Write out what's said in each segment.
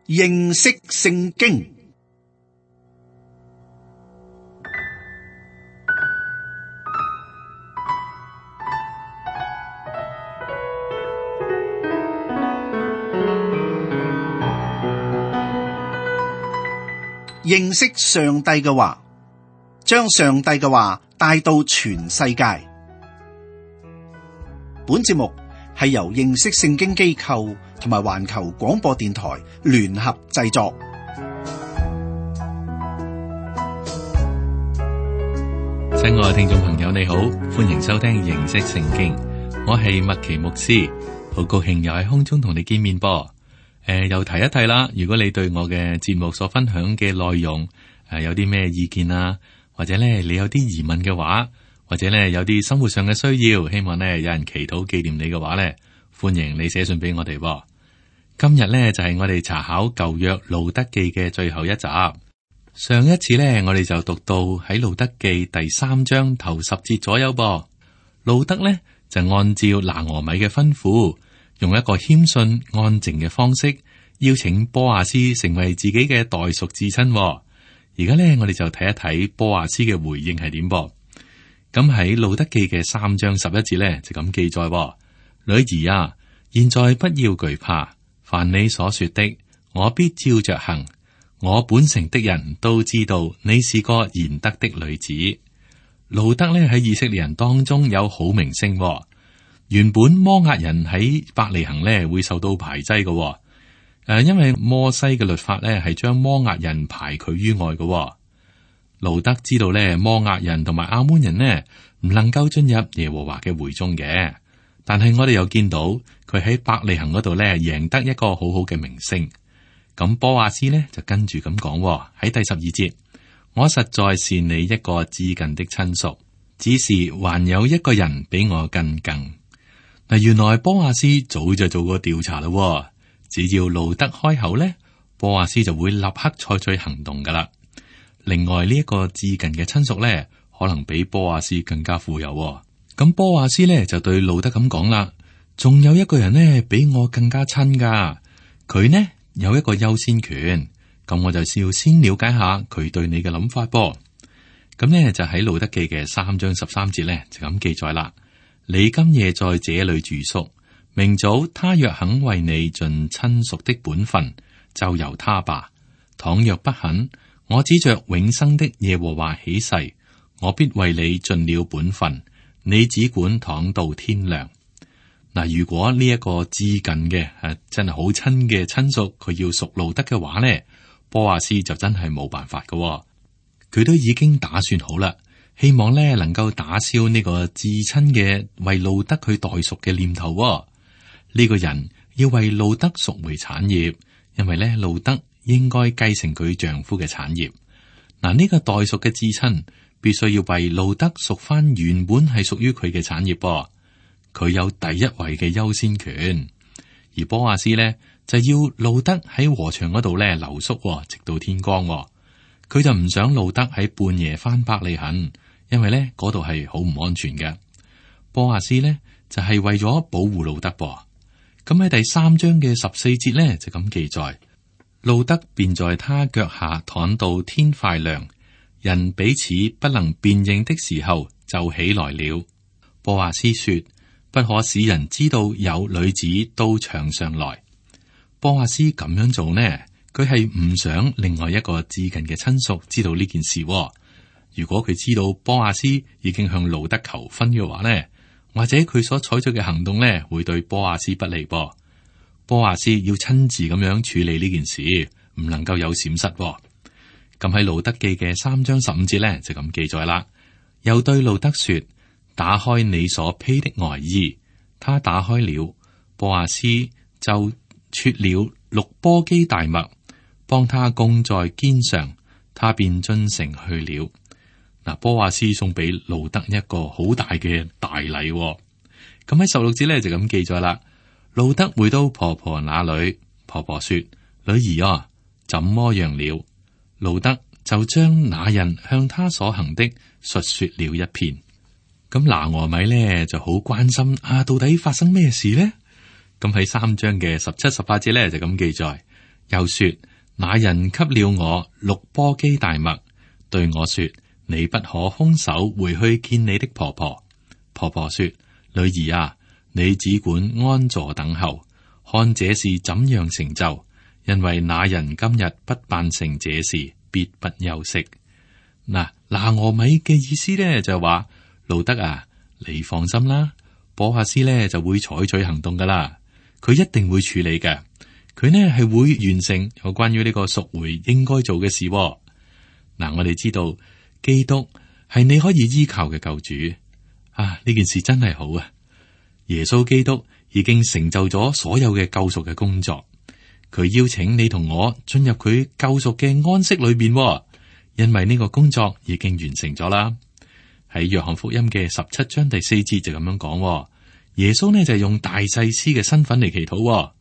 認識聖經。認識上帝嘅話，將上帝嘅話帶到全世界。本節目係由認識聖經機構同埋環球廣播電台聯合製作。親愛嘅聽眾朋友，你好，歡迎收聽認識聖經。我係麥奇牧師，好高興又喺空中同你見面噃。又提一提啦，如果你對我嘅節目所分享嘅內容有啲咩意見啊，或者咧你有啲疑問嘅話，或者咧有啲生活上嘅需要，希望咧有人祈禱紀念你嘅話咧，歡迎你寫信俾我哋。今日咧就係我哋查考舊約路德記嘅最後一集。上一次咧我哋就讀到喺路德記第3章頭10節左右噃。路德咧就按照拿俄米嘅吩咐，用一個謙遜安靜嘅方式邀請波阿斯成為自己嘅代屬至親。而家咧我哋就睇一睇波阿斯嘅回應係點噃。咁喺路德記嘅3章11節咧就咁記載：女兒啊，現在不要懼怕，凡你所說的，我必照着行。我本城的人都知道你是個賢德的女子。路德咧喺以色列人當中有好名聲。原本摩押人喺伯利恆咧會受到排擠嘅，因為摩西嘅律法咧係將摩押人排拒於外嘅。路德知道咧摩押人同埋亞捫人呢唔能夠進入耶和華嘅會中嘅，但係我哋又見到佢喺伯利恆嗰度咧贏得一個好好嘅名聲。咁波阿斯呢就跟住咁講喺第12節：我實在是你一個至近的親屬，只是還有一個人比我更近。嗱，原來波阿斯早就做過調查啦，只要路德開口呢，波阿斯就會立刻採取行動噶啦。另外呢一個至近嘅親屬呢，可能比波阿斯更加富有。咁波阿斯呢就對路德咁講啦，仲有一個人呢比我更加親噶，佢呢有一個優先權。咁我就要先了解下佢對你嘅諗法噃。咁呢就喺路德記嘅3章13節呢就咁記載啦。你今夜在這裏住宿，明早他若肯為你盡親屬的本分，就由他吧。倘若不肯，我指着永生的耶和華起誓，我必為你盡了本分。你只管躺到天亮。嗱，如果呢一個至近嘅真係好親嘅親屬，佢要屬路德嘅話呢，波阿斯就真係冇辦法㗎。佢都已經打算好啦，希望呢能夠打消呢個至親嘅為路德佢代贖嘅念頭。呢個人要為路德贖回產業，因為呢路德應該繼承佢丈夫嘅產業。嗱，呢個代贖嘅至親必須要為路德贖翻原本係屬於佢嘅產業噃。佢有第一位嘅優先權，而波阿斯呢就要路德喺禾場嗰度呢留宿，直到天光。佢就唔想路德喺半夜翻伯利恆，因為呢嗰度係好唔安全嘅。波阿斯呢就係為咗保護路德噃。咁喺第3章嘅14節呢就咁記載：路德便在他腳下躺到天快亮，人彼此不能辨認的時候就起來了。波阿斯說：不可使人知道有女子到場上來。波阿斯咁樣做呢，佢係唔想另外一個至近嘅親屬知道呢件事。如果佢知道波阿斯已經向路德求婚嘅話呢，或者佢所採取嘅行動呢，會對波阿斯不利噃。波阿斯要親自咁樣處理呢件事，唔能夠有閃失。咁喺路德記嘅3章15節呢，就咁記載啦。又對路德說：打開你所披的外衣。他打開了，波阿斯就撮了6簸箕大麥，幫他供在肩上，他便進城去了。嗱，波阿斯送俾路德一個好大嘅大禮。咁喺16節咧就咁記載啦。路德回到婆婆那裏，婆婆說：女兒啊，怎麼樣了？路德就將那人向他所行的述說了一遍。咁拿俄米咧就好關心到底發生咩事呢？咁喺3章嘅17、18節咧就咁記載：又說：那人給了我6簸箕大麥，對我說：你不可空手回去見你的婆婆。婆婆說：女兒啊，你只管安坐等候，看這事怎樣成就，因為那人今日不辦成這事，必不休息。嗱，拿俄米嘅意思咧就話：路得啊，你放心啦，波阿斯咧就會採取行動噶啦，佢一定會處理嘅。佢呢係會完成有關於呢個贖回應該做嘅事。嗱，我哋知道基督係你可以依靠嘅救主啊！呢件事真係好啊！耶穌基督已經成就咗所有嘅救贖嘅工作，佢邀請你同我進入佢救贖嘅安息裏邊，因為呢個工作已經完成咗啦。喺約翰福音嘅17章第4節就咁樣講，耶穌呢就用大祭司嘅身份嚟祈禱，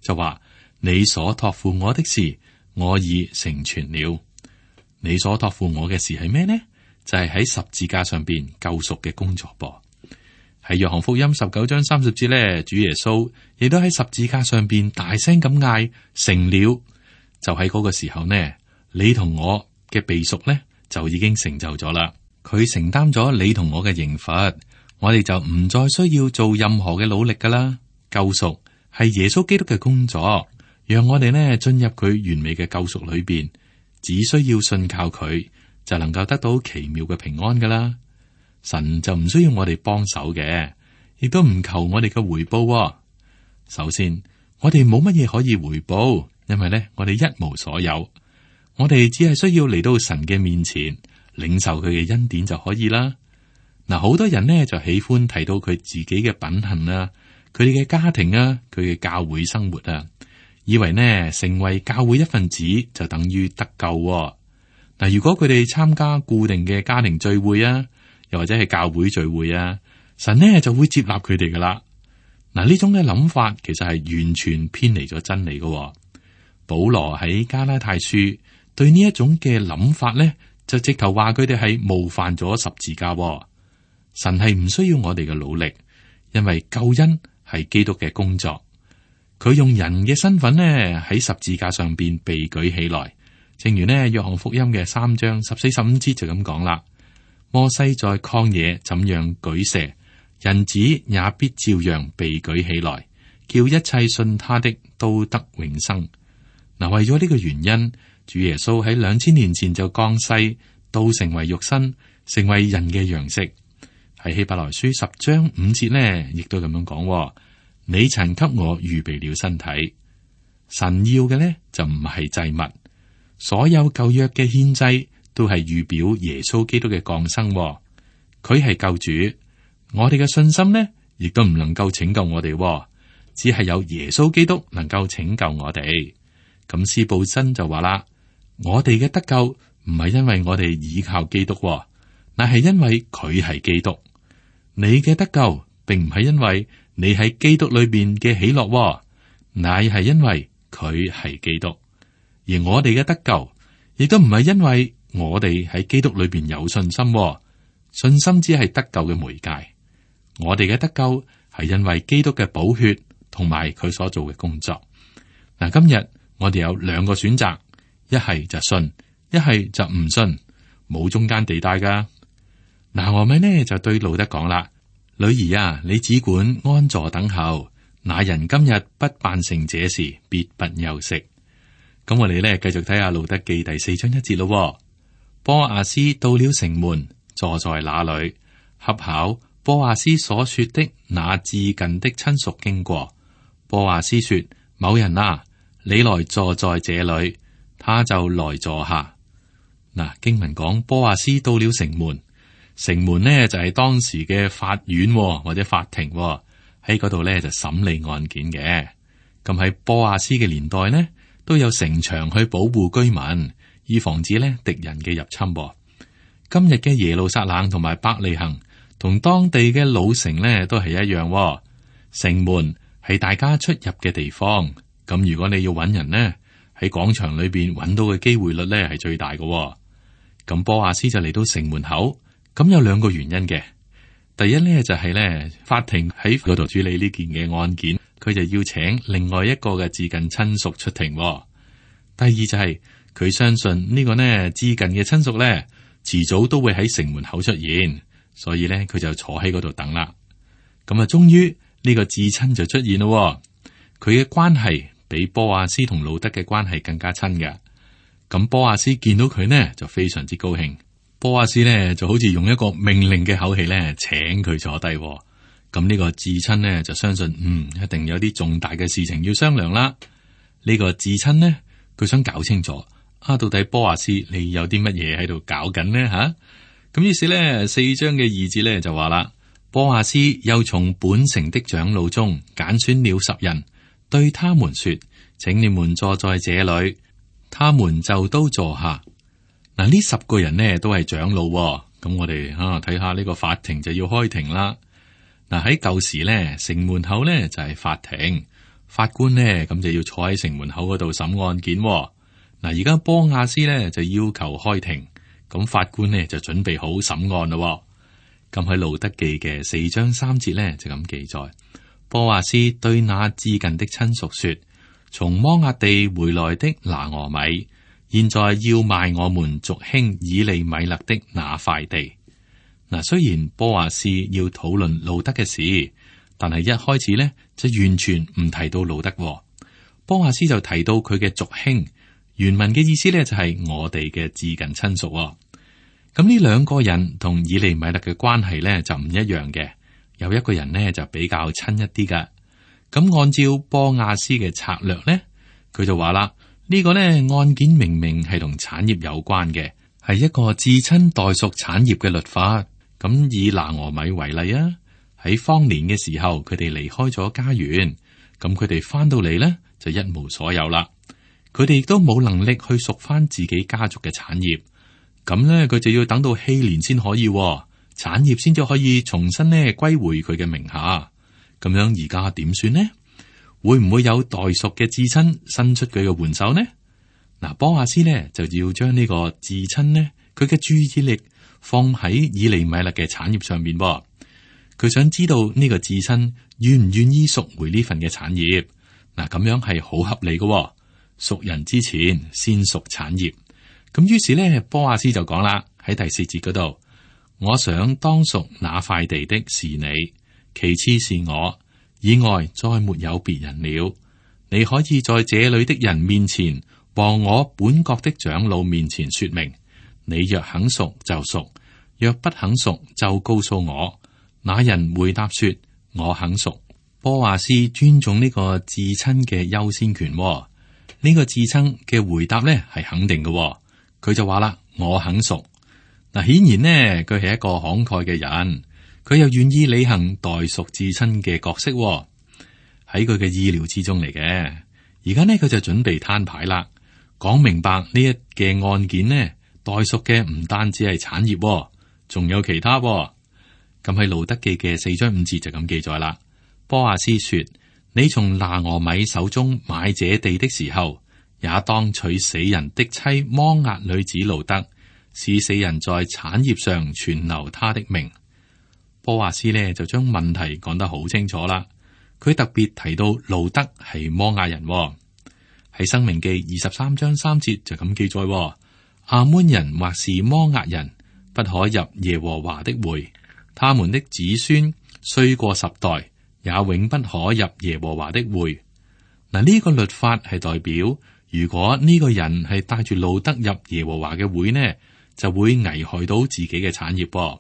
就話：你所託付我的事，我已成全了。你所託付我嘅事係咩呢？就係喺十字架上邊救贖嘅工作噃。喺約翰福音19章30節呢，主耶穌亦都喺十字架上邊大聲咁嗌：成了！就喺嗰個時候呢，你同我嘅被贖呢就已經成就咗啦。佢承擔咗你同我嘅刑罰，我哋就唔再需要做任何嘅努力噶啦。救贖係耶穌基督嘅工作。讓我哋呢進入佢完美嘅救贖裏邊，只需要信靠佢，就能夠得到奇妙嘅平安噶啦。神就唔需要我哋幫手嘅，亦都唔求我哋嘅回報。首先，我哋冇乜嘢可以回報，因為呢，我哋一無所有。我哋只係需要嚟到神嘅面前，領受佢嘅恩典就可以啦。嗱，好多人呢就喜歡提到佢自己嘅品行啊，佢哋嘅家庭啊，佢嘅教會生活啊。以為呢成為教會一份子就等於得救喎。嗱，如果佢哋參加固定嘅家庭聚會啊，又或者係教會聚會啊，神呢就會接納佢哋噶啦。嗱，呢種嘅諗法其實係完全偏離咗真理噶喎。保羅喺加拉太書對呢一種嘅諗法呢，就直頭話佢哋係冒犯咗十字架喎。神係唔需要我哋嘅努力，因為救恩係基督嘅工作。佢用人嘅身份呢喺十字架上邊被舉起來，正如呢約翰福音嘅3章14、15節就咁講啦。摩西在曠野怎樣舉蛇，人子也必照樣被舉起來，叫一切信他的都得永生。嗱，為咗呢個原因，主耶穌喺2000年前就降世，都成為肉身，成為人嘅樣式。喺希伯來書10章5節呢，亦都咁樣講。你曾給我預備了身體。神要嘅呢就唔係祭物，所有舊約嘅獻祭都係預表耶穌基督嘅降生。佢係救主，我哋嘅信心呢亦都唔能夠拯救我哋，只係有耶穌基督能夠拯救我哋。咁司布真就話啦，我哋嘅得救唔係因為我哋倚靠基督，乃係因為佢係基督。你嘅得救並唔係因為你喺基督裏邊嘅喜樂，乃係因為佢係基督。而我哋嘅得救，亦都唔係因為我哋喺基督裏邊有信心，信心只係得救嘅媒介。我哋嘅得救係因為基督嘅寶血同埋佢所做嘅工作。嗱，今日我哋有2個選擇，一係就信，一係就唔信，冇中間地帶噶。嗱，我咪呢就對路得講啦。女兒啊，你只管安坐等候，那人今日不辦成這事，必不休息。咁我哋咧繼續睇下路得記第4章1節咯。波阿斯到了城門，坐在那裏，恰巧波阿斯所說的那至近的親屬經過。波阿斯說：某人啊，你來坐在這裏，他就來坐下。嗱，經文講波阿斯到了城門。城門呢就係當時嘅法院或者法庭，喺嗰度呢就審理案件嘅。咁喺波阿斯嘅年代呢，都有城牆去保護居民，以防止呢敵人嘅入侵。今日嘅耶路撒冷同埋伯利恆同當地嘅老城呢都係一樣。城門係大家出入嘅地方。咁如果你要揾人呢，喺廣場裏邊揾到嘅機會率呢係最大嘅。咁波阿斯就嚟到城門口。咁有2個原因嘅。第一呢，就係呢法庭喺嗰度處理呢件嘅案件，佢就要請另外一個嘅至近親屬出庭。第二就係佢相信呢個呢至近嘅親屬呢，遲早都會喺城門口出現，所以呢，佢就坐喺嗰度等啦。咁啊，終於呢個至親就出現咯。佢嘅關係比波阿斯同路德嘅關係更加親嘅。咁波阿斯見到佢呢，就非常之高興。波阿斯呢，就好似用一個命令嘅口氣呢，請佢坐低。咁呢個至親呢，就相信一定有啲重大嘅事情要商量啦。呢個至親呢，佢想搞清楚到底波阿斯你有啲乜嘢喺度搞緊呢？吓？咁於是呢，4章嘅2節呢，就話啦，波阿斯又從本城的長老中揀選了10人，對他們說，請你們坐在這裏。他們就都坐下。嗱，呢10個人呢，都係長老。咁我哋睇下呢個法庭就要開庭啦。嗱，喺舊時呢，城門口呢就係法庭，法官呢咁就要坐喺城門口嗰度審案件。嗱，而家波亞斯呢就要求開庭，咁法官呢就準備好審案咯。咁喺路德記嘅4章3節呢就咁記載，波亞斯對那至近的親屬說：從摩押地回來的拿俄米，現在要賣我們族兄以利米勒的那塊地。嗱，雖然波阿斯要討論路德嘅事，但係一開始呢就完全唔提到路德。波阿斯就提到佢嘅族兄，原文嘅意思呢就係我哋嘅至近親屬。咁呢2個人同以利米勒嘅關係呢就唔一樣嘅，有一個人呢就比較親一啲噶。咁按照波亞斯嘅策略呢，佢就話啦，呢個呢案件明明係同產業有關嘅，係一個至親代屬產業嘅律法。咁以拿俄米為例啊，喺荒年嘅時候，佢哋離開咗家園，咁佢哋翻到嚟呢，就一無所有啦。佢哋亦都冇能力去贖翻自己家族嘅產業，咁呢，佢就要等到禧年先可以，產業先至可以重新呢歸回佢嘅名下。咁樣而家點算呢？會唔會有代贖嘅至親伸出佢嘅援手呢？嗱，波阿斯呢就要將呢個至親呢，佢嘅注意力放喺以利米勒嘅產業上面。佢想知道呢個至親願唔願意贖回呢份嘅產業。嗱，咁樣係好合理嘅，贖人之前先贖產業。咁於是呢，波阿斯就講啦，喺第4節嗰度，我想當贖那塊地的是你，其次是我，以外再沒有別人了。你可以在這裏的人面前和我本國的長老面前說明，你若肯贖就贖，若不肯贖就告訴我。那人回答說，我肯贖。波阿斯尊重呢個至親嘅優先權。呢個至親嘅回答呢係肯定嘅。佢就話啦，我肯贖。嗱，顯然呢，佢係一個慷慨嘅人。佢又願意履行代贖至親嘅角色，喺佢嘅意料之中嚟嘅。而家呢，佢就準備攤牌啦，講明白呢一嘅案件呢，代贖嘅唔單止係產業，仲有其他。咁喺路德記嘅4章5節就咁記載啦。波阿斯說：你從拿俄米手中買這地的時候，也當娶死人的妻摩押女子路德，使死人在產業上存留他的名。波阿斯呢就將問題講得好清楚啦。佢特別提到路德係摩押人。喺申命記23章3節就咁記載：亞捫人或是摩押人不可入耶和華的會，他們的子孫雖過10代，也永不可入耶和華的會。嗱，呢個律法係代表，如果呢個人係帶住路德入耶和華嘅會呢，就會危害到自己嘅產業。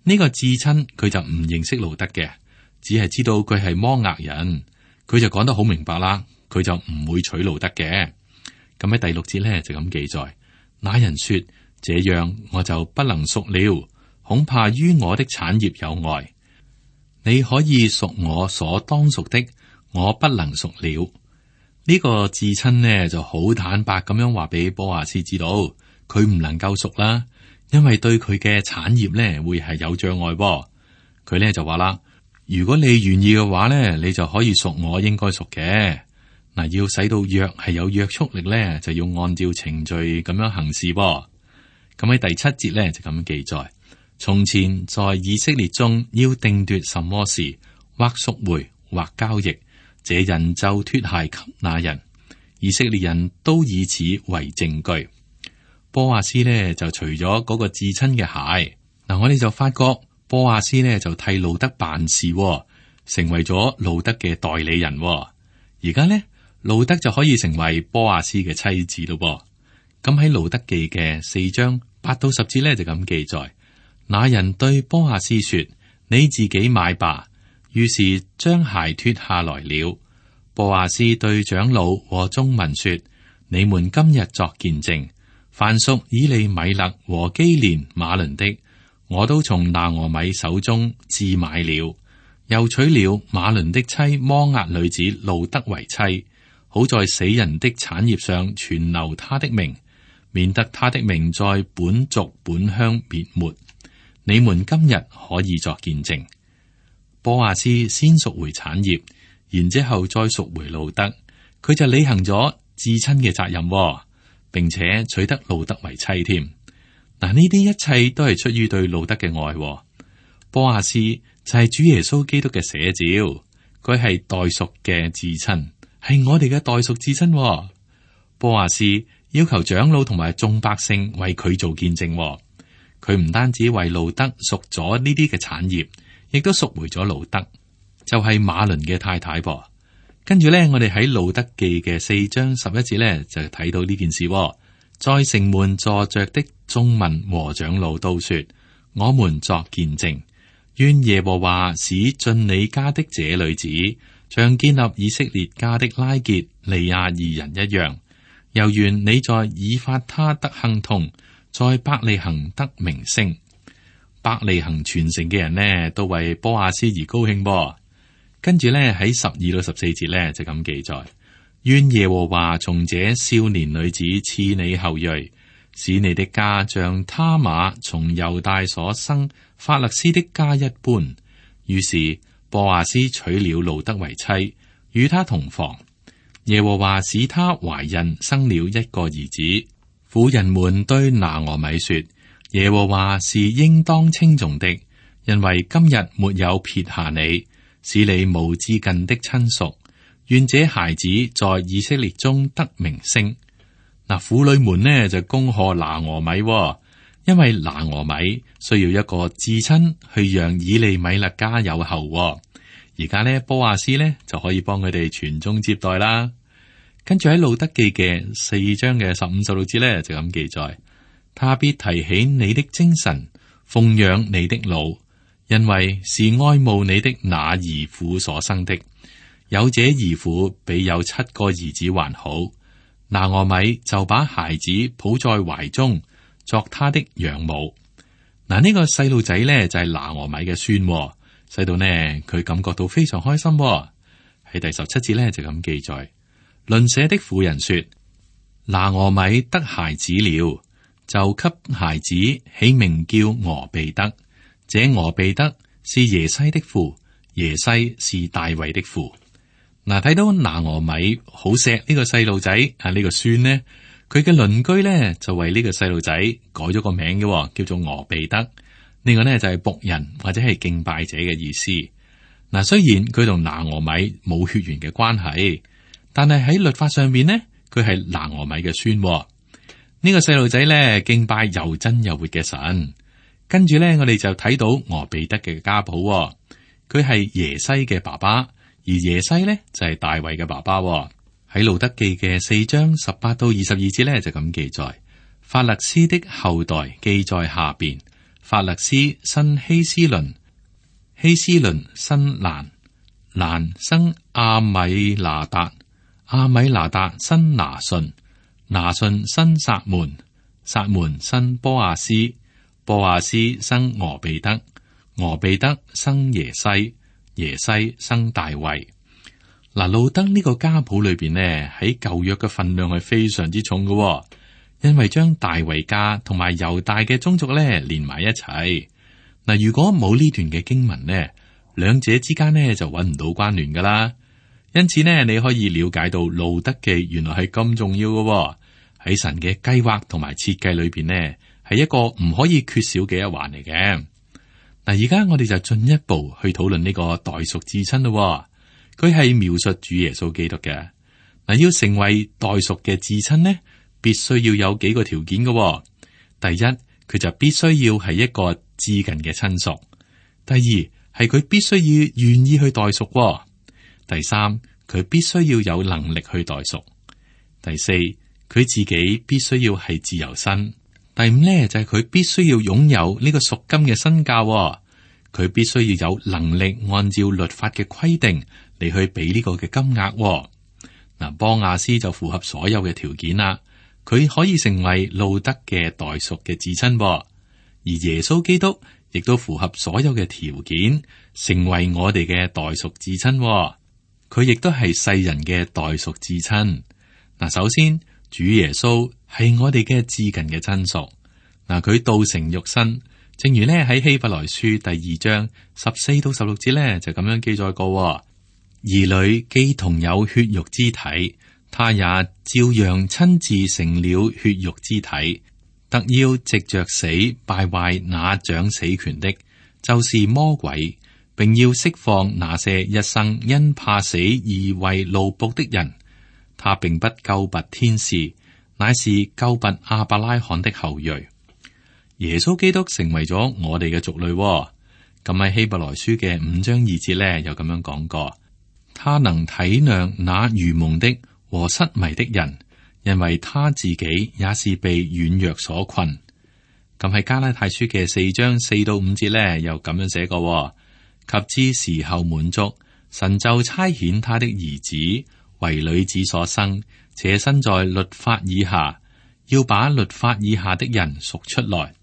呢個至親佢就唔認識路德嘅，只係知道佢係摩押人，佢就講得好明白啦，佢就唔會娶路德嘅。咁喺第6節呢，就咁記載，那人說：這樣我就不能贖了，恐怕於我的產業有礙。你可以贖我所當贖的，我不能贖了。呢個至親呢就好坦白咁樣話俾波阿斯知道，佢唔能夠贖啦。因為對佢嘅產業咧會係有障礙噃，佢咧就話啦：如果你願意嘅話咧，你就可以贖我應該贖嘅。嗱，要使到約係有約束力咧，就要按照程序咁樣行事噃。咁喺第7節咧就咁記載：從前在以色列中要定奪什麼事，或贖回或交易，這人就脫鞋給那人。以色列人都以此為證據。波阿斯呢就除咗嗰個至親嘅鞋，嗱，我哋就發覺波阿斯呢就替路德辦事，成為咗路德嘅代理人。而家呢，路德就可以成為波阿斯嘅妻子咯。咁喺路德記嘅4章8到10節呢就咁記載：那人對波阿斯說：你自己買吧。於是將鞋脱下來了。波阿斯對長老和眾民說：你們今日作見證，凡屬以利米勒和基連馬倫的，我都從拿俄米手中置買了，又娶了馬倫的妻摩押女子路德為妻，好在死人的產業上存留他的名，免得他的名在本族本鄉滅沒。你們今日可以作見證。波阿斯先贖回產業，然之後再贖回路德，佢就履行咗至親嘅責任，並且娶得路德為妻添。嗱，呢啲一切都係出於對路德嘅愛。波阿斯就係主耶穌基督嘅寫照，佢係代贖嘅至親，係我哋嘅代贖至親。波阿斯要求長老同埋眾百姓為佢做見證，佢唔單止為路德贖咗呢啲嘅產業，亦都贖回咗路德，就係馬倫嘅太太噃。跟住咧，我哋喺路德記嘅4章11節咧就睇到呢件事。在城門坐着的眾民和長老都說：我們作見證，願耶和華使進你家的這女子，像建立以色列家的拉結利亞二人一樣。又願你在以法他得亨通，在伯利恆得名聲。伯利恆全城嘅人呢，都為波阿斯而高興噃。跟住呢，喺12到14節呢，就咁記載：願耶和華從這少年女子賜你後裔，使你的家像他瑪從猶大所生法勒斯的家一般。於是波阿斯娶了路德為妻，與他同房。耶和華使他懷孕，生了一個兒子。婦人們對拿俄米說：耶和華是應當稱頌的，因為今日沒有撇下你，使你無至近的親屬。願這孩子在以色列中得名聲。嗱，婦女們呢就恭賀拿俄米，因為拿俄米需要一個至親去讓以利米勒家有後。而家呢，波阿斯呢就可以幫佢哋傳宗接代啦。跟住喺路德記嘅4章嘅15、16節呢，就咁記載：他必提起你的精神，奉養你的老，因為是愛慕你的那兒婦所生的。有這兒婦比有7個兒子還好。拿俄米就把孩子抱在懷中，作他的養母。嗱，呢個細路仔呢就係拿俄米嘅孫，使到呢佢感覺到非常開心。喺第17節呢，就咁記載。鄰舍的婦人說：拿俄米得孩子了，就給孩子起名叫俄備得。這俄備得是耶西的父，耶西是大衛的父。嗱，睇到拿俄米好錫呢個細路仔啊，呢個孫呢，佢嘅鄰居呢就為呢個細路仔改咗個名嘅，叫做俄備得。呢個呢就係僕人或者係敬拜者嘅意思。嗱，雖然佢同拿俄米冇血緣嘅關係，但係喺律法上面呢，佢係拿俄米嘅孫。呢個細路仔呢敬拜又真又活嘅神。跟住呢，我哋就睇到俄備得嘅家譜，佢係耶西嘅爸爸，而耶西呢就係大衛嘅爸爸。喺路德記嘅4章18到22節呢，就咁記載：法勒斯的後代記在下邊。法勒斯生希斯倫，希斯倫生蘭，蘭生阿米拿達，阿米拿達生拿順，拿順生撒門，撒門生波阿斯，波阿斯生俄備得，俄備得生耶西，耶西生大衛。嗱，路德呢個家譜裏邊呢，喺舊約嘅份量係非常之重嘅，因為將大衛家同埋猶大嘅宗族咧連埋一齊。嗱，如果冇呢段嘅經文呢，兩者之間呢就揾唔到關聯噶啦。因此呢，你可以了解到路德記原來係咁重要嘅，喺神嘅計劃同埋設計裏邊呢，係一個唔可以缺少嘅一環嚟嘅。嗱，而家我哋就進一步去討論呢個代贖至親咯。佢係描述主耶穌基督嘅。嗱，要成為代贖嘅至親呢，必須要有幾個條件嘅。第一，佢就必須要係一個至近嘅親屬。第二，係佢必須要願意去代贖。第三，佢必須要有能力去代贖。第四，佢自己必須要係自由身。第五呢，就係佢必須要擁有呢個贖金嘅身價。佢必須要有能力按照律法嘅規定嚟去俾呢個嘅金額。嗱，波亞斯就符合所有嘅條件啦，佢可以成為路德嘅代贖嘅至親。而耶穌基督亦都符合所有嘅條件，成為我哋嘅代贖至親。佢亦都係世人嘅代贖至親。嗱，首先主耶穌係我哋嘅至近嘅親屬。嗱，佢道成肉身。正如呢喺希伯來書第2章14到16節呢，就咁樣記載過：兒女既同有血肉之體，他也照樣親自成了血肉之體，特要藉着死敗壞那掌死權的，就是魔鬼，並要釋放那些一生因怕死而為奴僕的人。他並不救拔天使，乃是救拔亞伯拉罕的後裔。耶穌基督成為咗我哋嘅族類。咁喺希伯來書嘅5章2節呢，又咁樣講過：他能體諒那愚蒙的和失迷的人，因為他自己也是被軟弱所困。咁喺加拉太書嘅4章4到5節呢，又咁樣寫過：及至時候滿足，神就差遣他的兒子為女子所生，且身在律法以下，要把律法以下的人贖出來，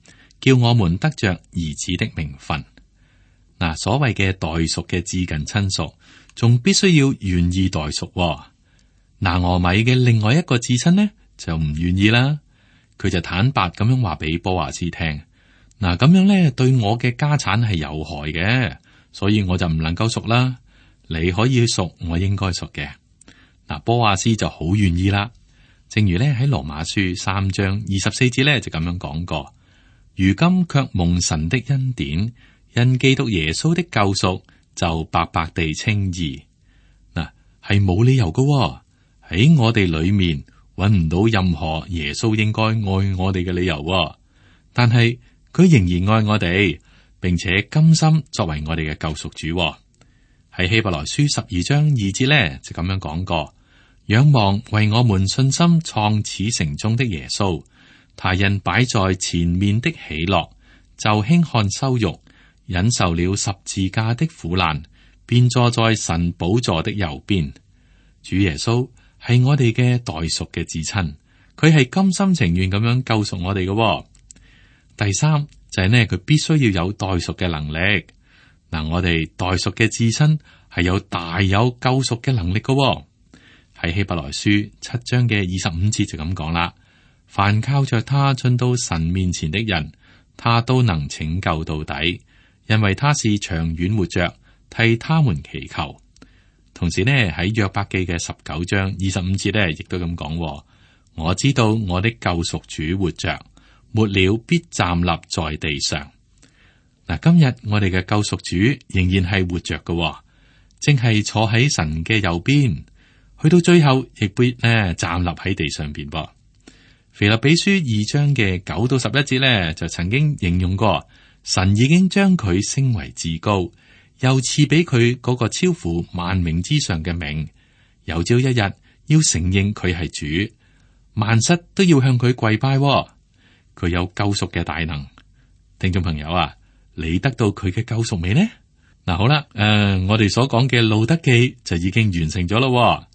叫我們得着兒子的名分。嗱，所謂嘅代贖嘅至近親屬，仲必須要願意代贖。拿俄米嘅另外一個至親呢，就唔願意啦。佢就坦白咁樣話俾波亞斯聽：嗱，咁樣呢對我嘅家產係有害嘅，所以我就唔能夠贖啦。你可以去贖我應該贖嘅。嗱，波亞斯就好願意啦。正如呢喺羅馬書3章24節呢，就咁樣講過。如今卻蒙神的恩典，因基督耶穌的救贖，就白白地稱義。嗱，係冇理由㗎，喺我哋裏面揾唔到任何耶穌應該愛我哋嘅理由。但係佢仍然愛我哋，並且甘心作為我哋嘅救贖主。喺希伯來書12章2節呢，就咁樣講過：仰望為我們信心創始成終的耶穌。他因擺在前面的喜樂，就輕看羞辱，忍受了十字架的苦難，便坐在神寶座的右邊。主耶穌係我哋嘅代贖嘅至親，佢係甘心情願咁樣救贖我哋嘅。第三就係呢，佢必須要有代贖嘅能力。嗱，我哋代贖嘅至親係有大有救贖嘅能力嘅。喺希伯來書7章嘅25節就咁講啦。凡靠着他進到神面前的人，他都能拯救到底，因為他是長遠活着，替他們祈求。同時呢，喺約伯記嘅19章25節呢，亦都咁講：我知道我的救贖主活着，末了必站立在地上。嗱，今日我哋嘅救贖主仍然係活着嘅，正係坐喺神嘅右邊，去到最後亦必站立喺地上邊噃。腓立比書2章嘅9到11節呢，就曾經形容過，神已經將佢升為至高，又賜俾佢嗰個超乎萬名之上嘅名。有朝一日要承認佢係主，萬膝都要向佢跪拜。佢有救贖嘅大能。聽眾朋友啊，你得到佢嘅救贖未呢？嗱，好啦，我哋所講嘅路德記就已經完成咗咯。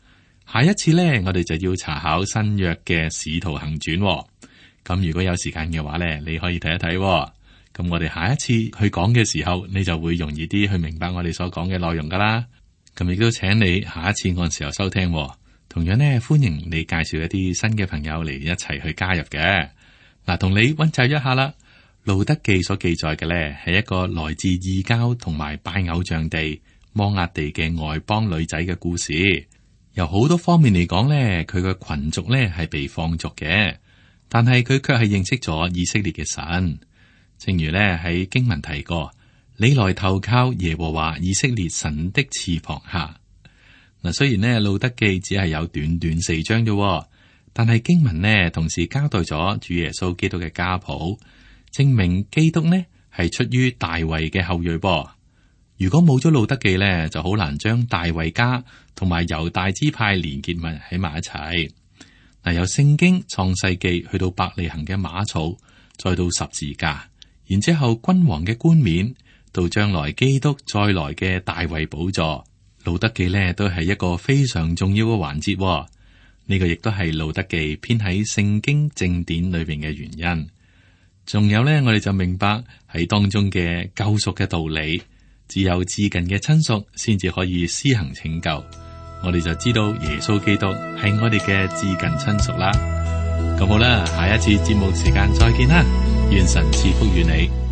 下一次呢，我哋就要查考新約嘅使徒行傳。咁如果有時間嘅話呢，你可以睇一睇。咁我哋下一次去講嘅時候，你就會容易啲去明白我哋所講嘅內容噶啦。咁亦都請你下一次按時候收聽。同樣呢，歡迎你介紹一啲新嘅朋友嚟一齊去加入嘅。嗱，同你溫習一下啦。路德記所記載嘅呢，係一個來自異教同埋拜偶像地摩押地嘅外邦女仔嘅故事。由好多方面嚟講呢，佢嘅群族呢係被放逐嘅，但係佢卻係認識咗以色列嘅神。正如呢喺經文提過，你來投靠耶和華以色列神的翅膀下。嗱，雖然呢路德記只係有短短4章啫，但係經文呢同時交代咗主耶穌基督嘅家譜，證明基督呢係出於大衛嘅後裔噃。如果冇咗路德記呢，就好難將大衛家同埋猶大支派連結埋喺埋一齊。嗱，由聖經創世記去到伯利恆嘅馬槽，再到十字架，然之後君王嘅冠冕，到將來基督再來嘅大衛寶座，路德記呢都係一個非常重要嘅環節。呢個亦都係路德記編喺聖經正典裏邊嘅原因。仲有呢，我哋就明白喺當中嘅救贖嘅道理，只有至近嘅親屬先至可以施行拯救。我哋就知道耶穌基督係我哋嘅至近親屬啦。咁好啦，下一次節目時間再見啦，願神賜福於你。